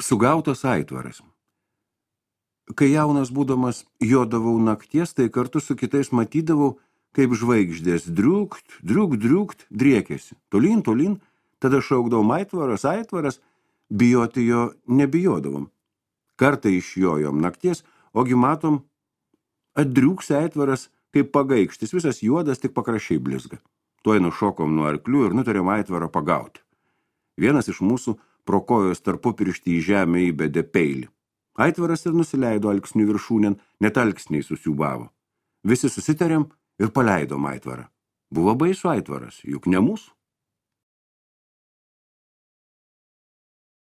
Sugautas aitvaras. Kai jaunas būdamas jodavau nakties, tai kartu su kitais matydavau, kaip žvaigždės driukt, driekėsi. Tolyn, tada šaukdavom aitvaras, bijoti jo nebijodavom. Kartą išjojom nakties, ogi matom, atdriuks aitvaras, kaip pagaikštis, visas juodas, tik pakraščiai blizga. Tuoj nušokom nuo arklių ir nutarėm aitvarą pagauti. Vienas iš mūsų pro kojos tarpupirštį į žemę įbedė peilį. Aitvaras ir nusileido alksnių viršūnėn, net alksniai susiūbavo. Visi susitarėm ir paleidom aitvarą. Buvo baisu aitvaras, juk ne mūsų.